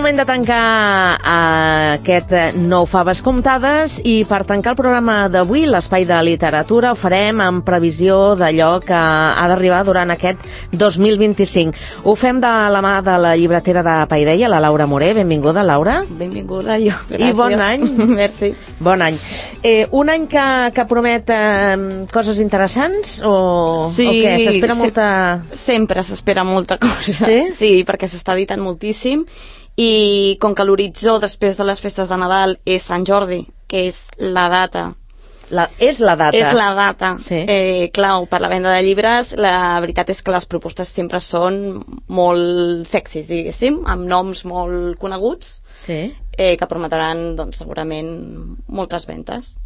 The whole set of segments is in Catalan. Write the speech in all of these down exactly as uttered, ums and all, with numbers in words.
moment de tancar aquest nou Faves Comptades i per tancar el programa d'avui, l'espai de literatura, ho farem en previsió d'allò que ha d'arribar durant aquest dos mil vint-i-cinc. Ho fem de la mà de la llibretera de Paideia, la Laura Moré. Benvinguda, Laura. Benvinguda, jo. Gràcies. I bon any. Merci. Bon any. Eh, un any que, que promet eh, coses interessants o, sí, o què? S'espera sí, molta... Sempre s'espera molta cosa. Sí? Sí, perquè s'està editant moltíssim i com que l'horitzó després de les festes de Nadal és Sant Jordi, que és la data la, és la data és la data sí. eh, clau per la venda de llibres, la veritat és que les propostes sempre són molt sexis, diguéssim, amb noms molt coneguts, sí. eh, que prometran doncs, segurament moltes ventes.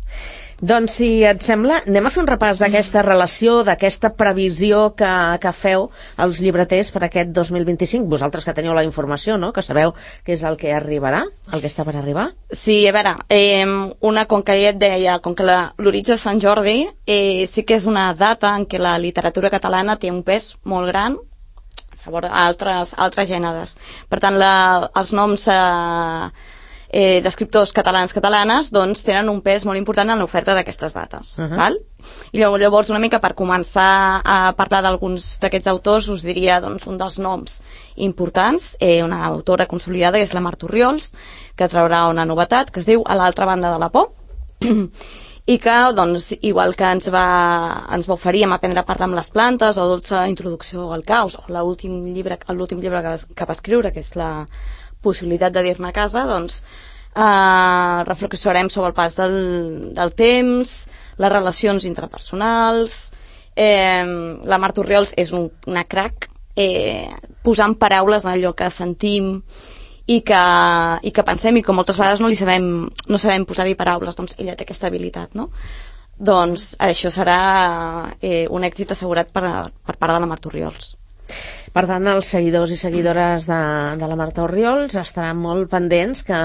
Doncs, si et sembla, anem a fer un repàs d'aquesta relació, d'aquesta previsió que, que feu els llibreters per aquest dos mil vint-i-cinc. Vosaltres que teniu la informació, no?, que sabeu què és el que arribarà, el que està per arribar. Sí, a veure, eh, una, com que ja et deia, com que l'horitzó és Sant Jordi, eh, sí que és una data en què la literatura catalana té un pes molt gran a favor d'altres altres gèneres. Per tant, la, els noms... Eh, Eh, d'escriptors catalans-catalanes doncs tenen un pes molt important en l'oferta d'aquestes dates. Uh -huh. Val? I llavors una mica per començar a parlar d'alguns d'aquests autors us diria doncs, un dels noms importants, eh, una autora consolidada és la Marta Orriols, que traurà una novetat que es diu A l'altra banda de la por i que doncs, igual que ens va, ens va oferir amb Aprendre a parlar amb les plantes o Dolça introducció al caos o l'últim llibre, l'últim llibre que, que va escriure, que és la possibilitat de dir-ne a casa, doncs eh, reflexionarem sobre el pas del, del temps, les relacions interpersonals. Eh, la Marta Orriols és un, una crac eh, posant paraules en allò que sentim i que, i que pensem i que moltes vegades no li sabem, no sabem posar-hi paraules, doncs ella té aquesta habilitat, no? Doncs això serà eh, un èxit assegurat per, per part de la Marta Orriols. Per tant, els seguidors i seguidores de, de la Marta Orriols estaran molt pendents que,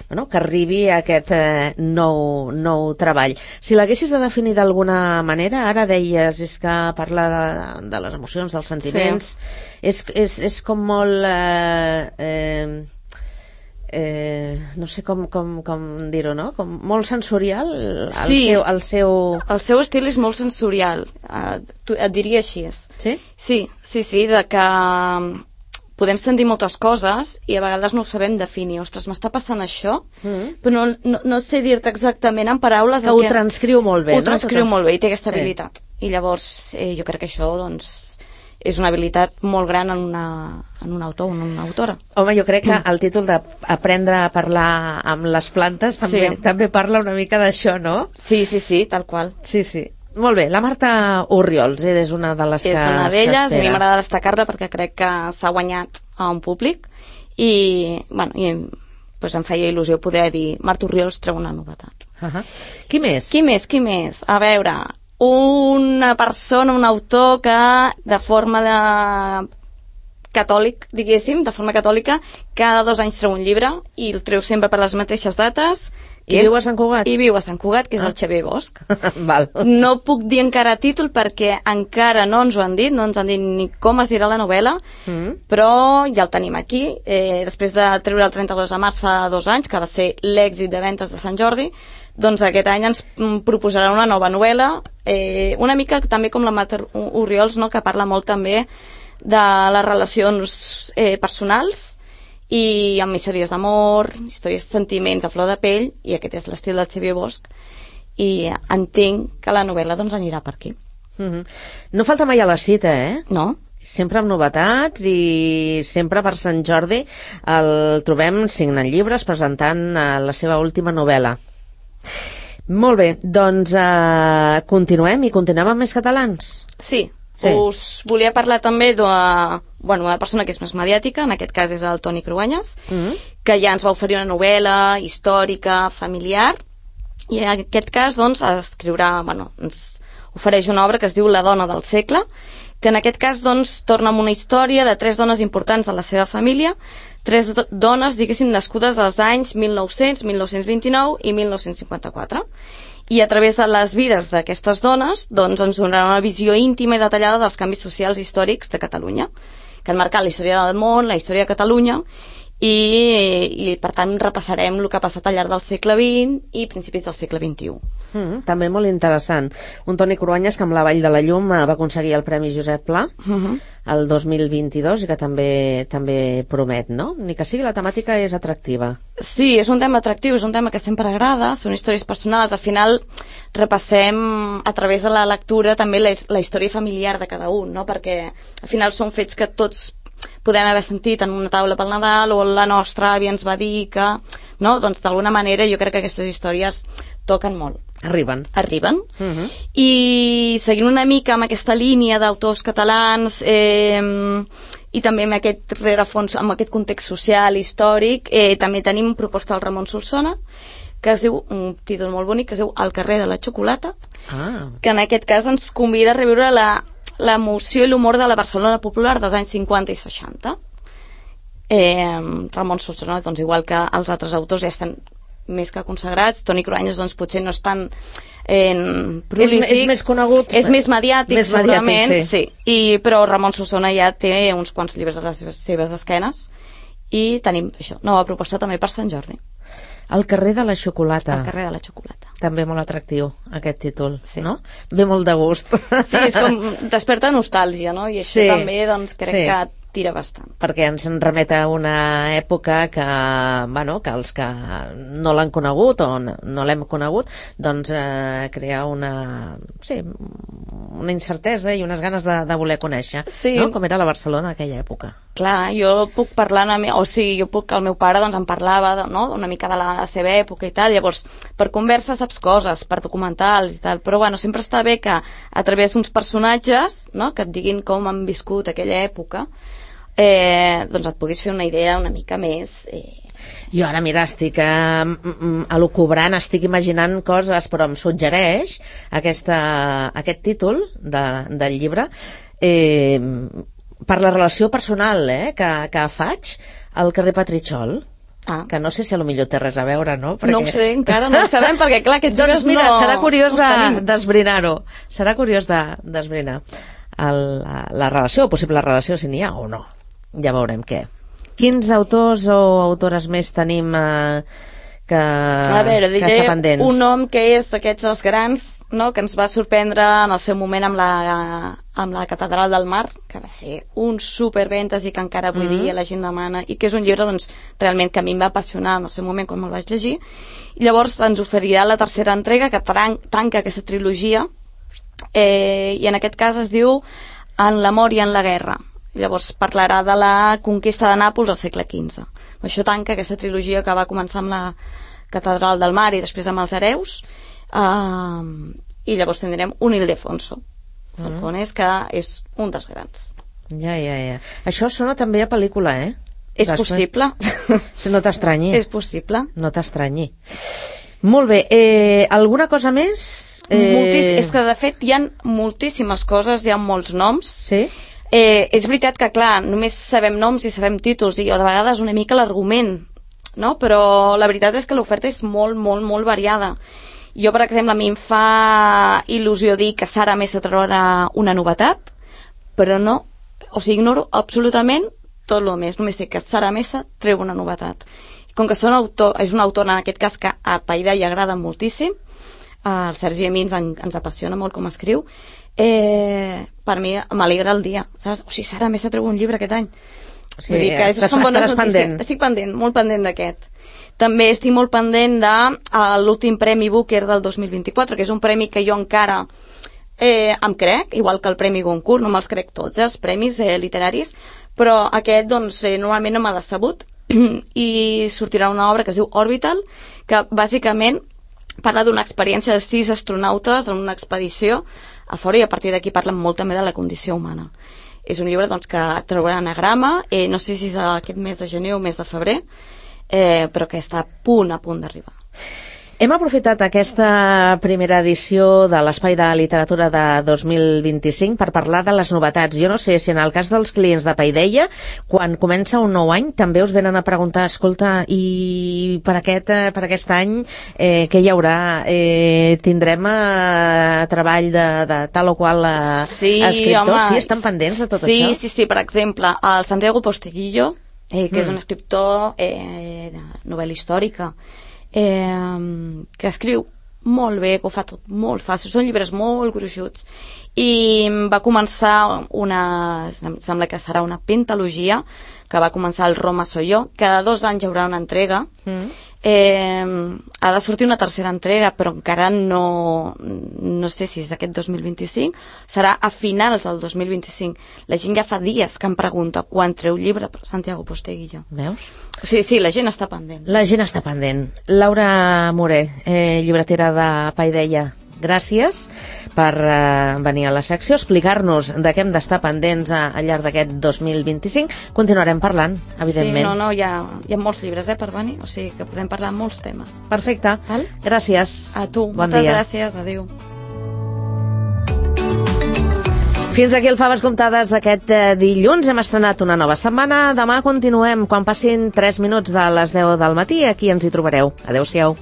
bueno, que arribi aquest eh, nou, nou treball. Si l'haguessis de definir d'alguna manera, ara deies és que parla de, de les emocions, dels sentiments, sí. és, és, és com molt... Eh, eh, Eh, no sé com, com, com dir-ho, no? Com molt sensorial el, sí, seu, el seu... el seu estil és molt sensorial, uh, et diria així. Sí? Sí, sí, sí, de que podem sentir moltes coses i a vegades no ho sabem definir. Ostres, m'està passant això, mm. però no, no, no sé dir-te exactament en paraules... Que ho que... transcriu molt bé, ho no? Ho transcriu Tot... molt bé i té aquesta sí. habilitat. I llavors eh, jo crec que això, doncs... és una habilitat molt gran en, una, en un autor o en una autora. Home, jo crec que el títol d'Aprendre a parlar amb les plantes també, sí. també parla una mica d'això, no? Sí, sí, sí, tal qual. Sí, sí. Molt bé, la Marta Orriols és una de les és que És una d'elles, i a mi m'agrada destacar-la perquè crec que s'ha guanyat a un públic i, bueno, i pues, em feia il·lusió poder dir Marta Orriols treu una novetat. Uh -huh. Qui més? Qui més, qui més? A veure... una persona, un autor que de forma de catòlic, diguéssim, de forma catòlica, cada dos anys treu un llibre i el treu sempre per les mateixes dates. I és, viu a Sant Cugat? I viu a Sant Cugat, que és ah. el Xavier Bosch. Val. No puc dir encara títol perquè encara no ens ho han dit, no ens han dit ni com es dirà la novel·la, mm. però ja el tenim aquí. Eh, després de treure el trenta-dos de març fa dos anys, que va ser l'èxit de ventes de Sant Jordi, doncs aquest any ens proposarà una nova novel·la, eh, una mica també com la Marta Orriols, no?, que parla molt també de les relacions eh, personals i amb històries d'amor, històries de sentiments a flor de pell, i aquest és l'estil del Xavier Bosch, i entenc que la novel·la doncs anirà per aquí. Mm-hmm. No falta mai a la cita, eh? No. Sempre amb novetats i sempre per Sant Jordi el trobem signant llibres, presentant eh, la seva última novel·la. Molt bé, doncs eh, continuem i continuem amb més catalans. Sí, sí. Us volia parlar també d'una bueno, una persona que és més mediàtica, en aquest cas és el Toni Cruanyes, mm-hmm. que ja ens va oferir una novel·la històrica, familiar, i en aquest cas doncs escriurà, bueno, ens ofereix una obra que es diu La dona del segle, que en aquest cas doncs torna amb una història de tres dones importants de la seva família, tres do dones, diguéssim, nascudes als anys mil nou-cents, mil nou-cents vint-i-nou i mil nou-cents cinquanta-quatre. I a través de les vides d'aquestes dones doncs, ens donarà una visió íntima i detallada dels canvis socials històrics de Catalunya, que han marcat la història del món, la història de Catalunya, i, i per tant repassarem el que ha passat al llarg del segle vint i principis del segle vint-i-u. Mm, també molt interessant. Un Toni Cruanyes que amb La Vall de la Llum va aconseguir el Premi Josep Pla uh -huh. el dos mil vint-i-dos i que també també promet, no? Ni que sigui la temàtica és atractiva. Sí, és un tema atractiu, és un tema que sempre agrada, són històries personals, al final repassem a través de la lectura també la, la història familiar de cada un, no? Perquè al final són fets que tots podem haver sentit en una taula pel Nadal o la nostra àvia ens va dir que, no? Doncs d'alguna manera jo crec que aquestes històries toquen molt. Arriben. Arriben. Uh -huh. I seguint una mica amb aquesta línia d'autors catalans eh, i també amb aquest rerefons, amb aquest context social, històric, eh, també tenim proposta del Ramon Solsona, que es diu, un títol molt bonic, que es diu El carrer de la xocolata, ah. que en aquest cas ens convida a reviure la l'emoció i l'humor de la Barcelona popular dels anys cinquanta i seixanta. Eh, Ramon Solsona, doncs, igual que els altres autors, ja estan més que consagrats. Toni Cruanyes, doncs, potser no és tan eh, prolífic. És, és més conegut. És més mediàtic, més segurament, mediàtic, sí. sí. I, però Ramon Solsona ja té uns quants llibres a les seves, seves esquenes i tenim això, nova proposta també per Sant Jordi. El carrer de la xocolata. El carrer de la xocolata. També molt atractiu, aquest títol, sí. no? Ve molt de gust. Sí, és com desperta nostàlgia, no? I això sí. també, doncs, crec sí. que tira bastant. Perquè ens en remet a una època que, bueno, que els que no l'han conegut o no, no l'hem conegut, doncs eh, crea una, sí, una incertesa i unes ganes de, de voler conèixer, sí. no? Com era la Barcelona d'aquella època. Clar, jo puc parlar, o sigui, jo puc, el meu pare doncs em parlava, no?, una mica de la seva època i tal, llavors, per conversa saps coses, per documentals i tal, però bueno, sempre està bé que a través d'uns personatges, no?, que et diguin com han viscut aquella època, eh, doncs et puguis fer una idea una mica més... Eh... Jo ara, mira, estic eh, elucubrant, estic imaginant coses, però em suggereix aquesta, aquest títol de, del llibre eh, per la relació personal eh, que, que faig al carrer Petritxol. Ah. Que no sé si a lo millor té res a veure, no? Perquè... No ho sé, encara no ho sabem, perquè clar, aquests doncs mira, no... serà curiós d'esbrinar-ho. De, serà curiós d'esbrinar de, la, la relació, o possible relació, si n'hi ha o no. Ja veurem què. Quins autors o autores més tenim eh, que, a veure, que està pendents? Un nom que és d'aquests dels grans, no?, que ens va sorprendre en el seu moment amb la, amb la Catedral del Mar, que va ser un superventes i que encara avui mm. dia la gent demana, i que és un llibre doncs, realment que a mi em va apassionar en el seu moment quan me'l vaig llegir. I llavors ens oferirà la tercera entrega que tanca aquesta trilogia, eh, i en aquest cas es diu En l'amor i en la guerra. Llavors parlarà de la conquista de Nàpols al segle quinze. Això tanca aquesta trilogia que va començar amb la Catedral del Mar i després amb els hereus, uh, i llavors tindrem un Ildefonso, mm. el Conés, que és un dels grans. Ja, ja, ja. Això sona també a pel·lícula, eh? És després... possible. Si no t'estranyi. És possible. No t'estranyi. Molt bé. Eh, alguna cosa més? Eh... Moltíssim. És que, de fet, hi ha moltíssimes coses, hi ha molts noms. Sí? Eh, és veritat que, clar, només sabem noms i sabem títols, i de vegades una mica l'argument, no? Però la veritat és que l'oferta és molt, molt, molt variada. Jo, per exemple, a mi em fa il·lusió dir que Sara Mesa traurà una novetat, però no, o sigui, ignoro absolutament tot el més, només sé que Sara Mesa treu una novetat. I com que són autor, és un autor, en aquest cas, que a Paidà hi agrada moltíssim, el Sergi a mi ens, ens apassiona molt com escriu, eh, per mi m'alegra el dia, saps? O sigui, Sara Mesa treu un llibre aquest any. Sí, Vull dir que estàs, són bones notícies. Pendent. Estic pendent, molt pendent d'aquest. També estic molt pendent de l'últim Premi Booker del dos mil vint-i-quatre, que és un premi que jo encara eh, em crec, igual que el Premi Goncourt, no me'ls crec tots, eh, els premis eh, literaris, però aquest doncs, eh, normalment no m'ha decebut, i sortirà una obra que es diu Orbital, que bàsicament parla d'una experiència de sis astronautes en una expedició a fora, i a partir d'aquí parlen molt també de la condició humana. És un llibre doncs, que traurà anagrama, eh, no sé si és aquest mes de gener o mes de febrer, eh, però que està a punt, a punt d'arribar. Hem aprofitat aquesta primera edició de l'Espai de Literatura de dos mil vint-i-cinc per parlar de les novetats. Jo no sé si en el cas dels clients de Paideia, quan comença un nou any, també us venen a preguntar, escolta, i per aquest, per aquest any eh, què hi haurà? Eh, tindrem eh, treball de, de tal o qual eh, sí, escriptor? home, Sí, estan pendents de tot sí, això? Sí, sí, per exemple, el Santiago Posteguillo, eh, que Mm. és un escriptor eh, de novel·la històrica, eh, que escriu molt bé, que ho fa tot molt fàcil, són llibres molt gruixuts, i va començar una, em sembla que serà una pentalogia, que va començar el Roma soy yo. Cada dos anys hi haurà una entrega. Mm. Eh, ha de sortir una tercera entrega, però encara no no sé si és aquest dos mil vint-i-cinc, serà a finals del dos mil vint-i-cinc. La gent ja fa dies que em pregunta quan treu llibre per Santiago Posteguillo. Veus? Sí, sí, la gent està pendent. La gent està pendent. Laura Moré, eh, llibretera de Paideia, gràcies per eh, venir a la secció, explicar-nos de què hem d'estar pendents a, al llarg d'aquest dos mil vint-i-cinc. Continuarem parlant, evidentment. Sí, no, no, hi ha, hi ha molts llibres eh, per venir, o sigui que podem parlar de molts temes. Perfecte. Val? Gràcies. A tu, bon moltes dia. gràcies, adéu. Fins aquí el Faves Comptades d'aquest eh, dilluns. Hem estrenat una nova setmana. Demà continuem quan passin tres minuts de les deu del matí. Aquí ens hi trobareu. Adéu-siau.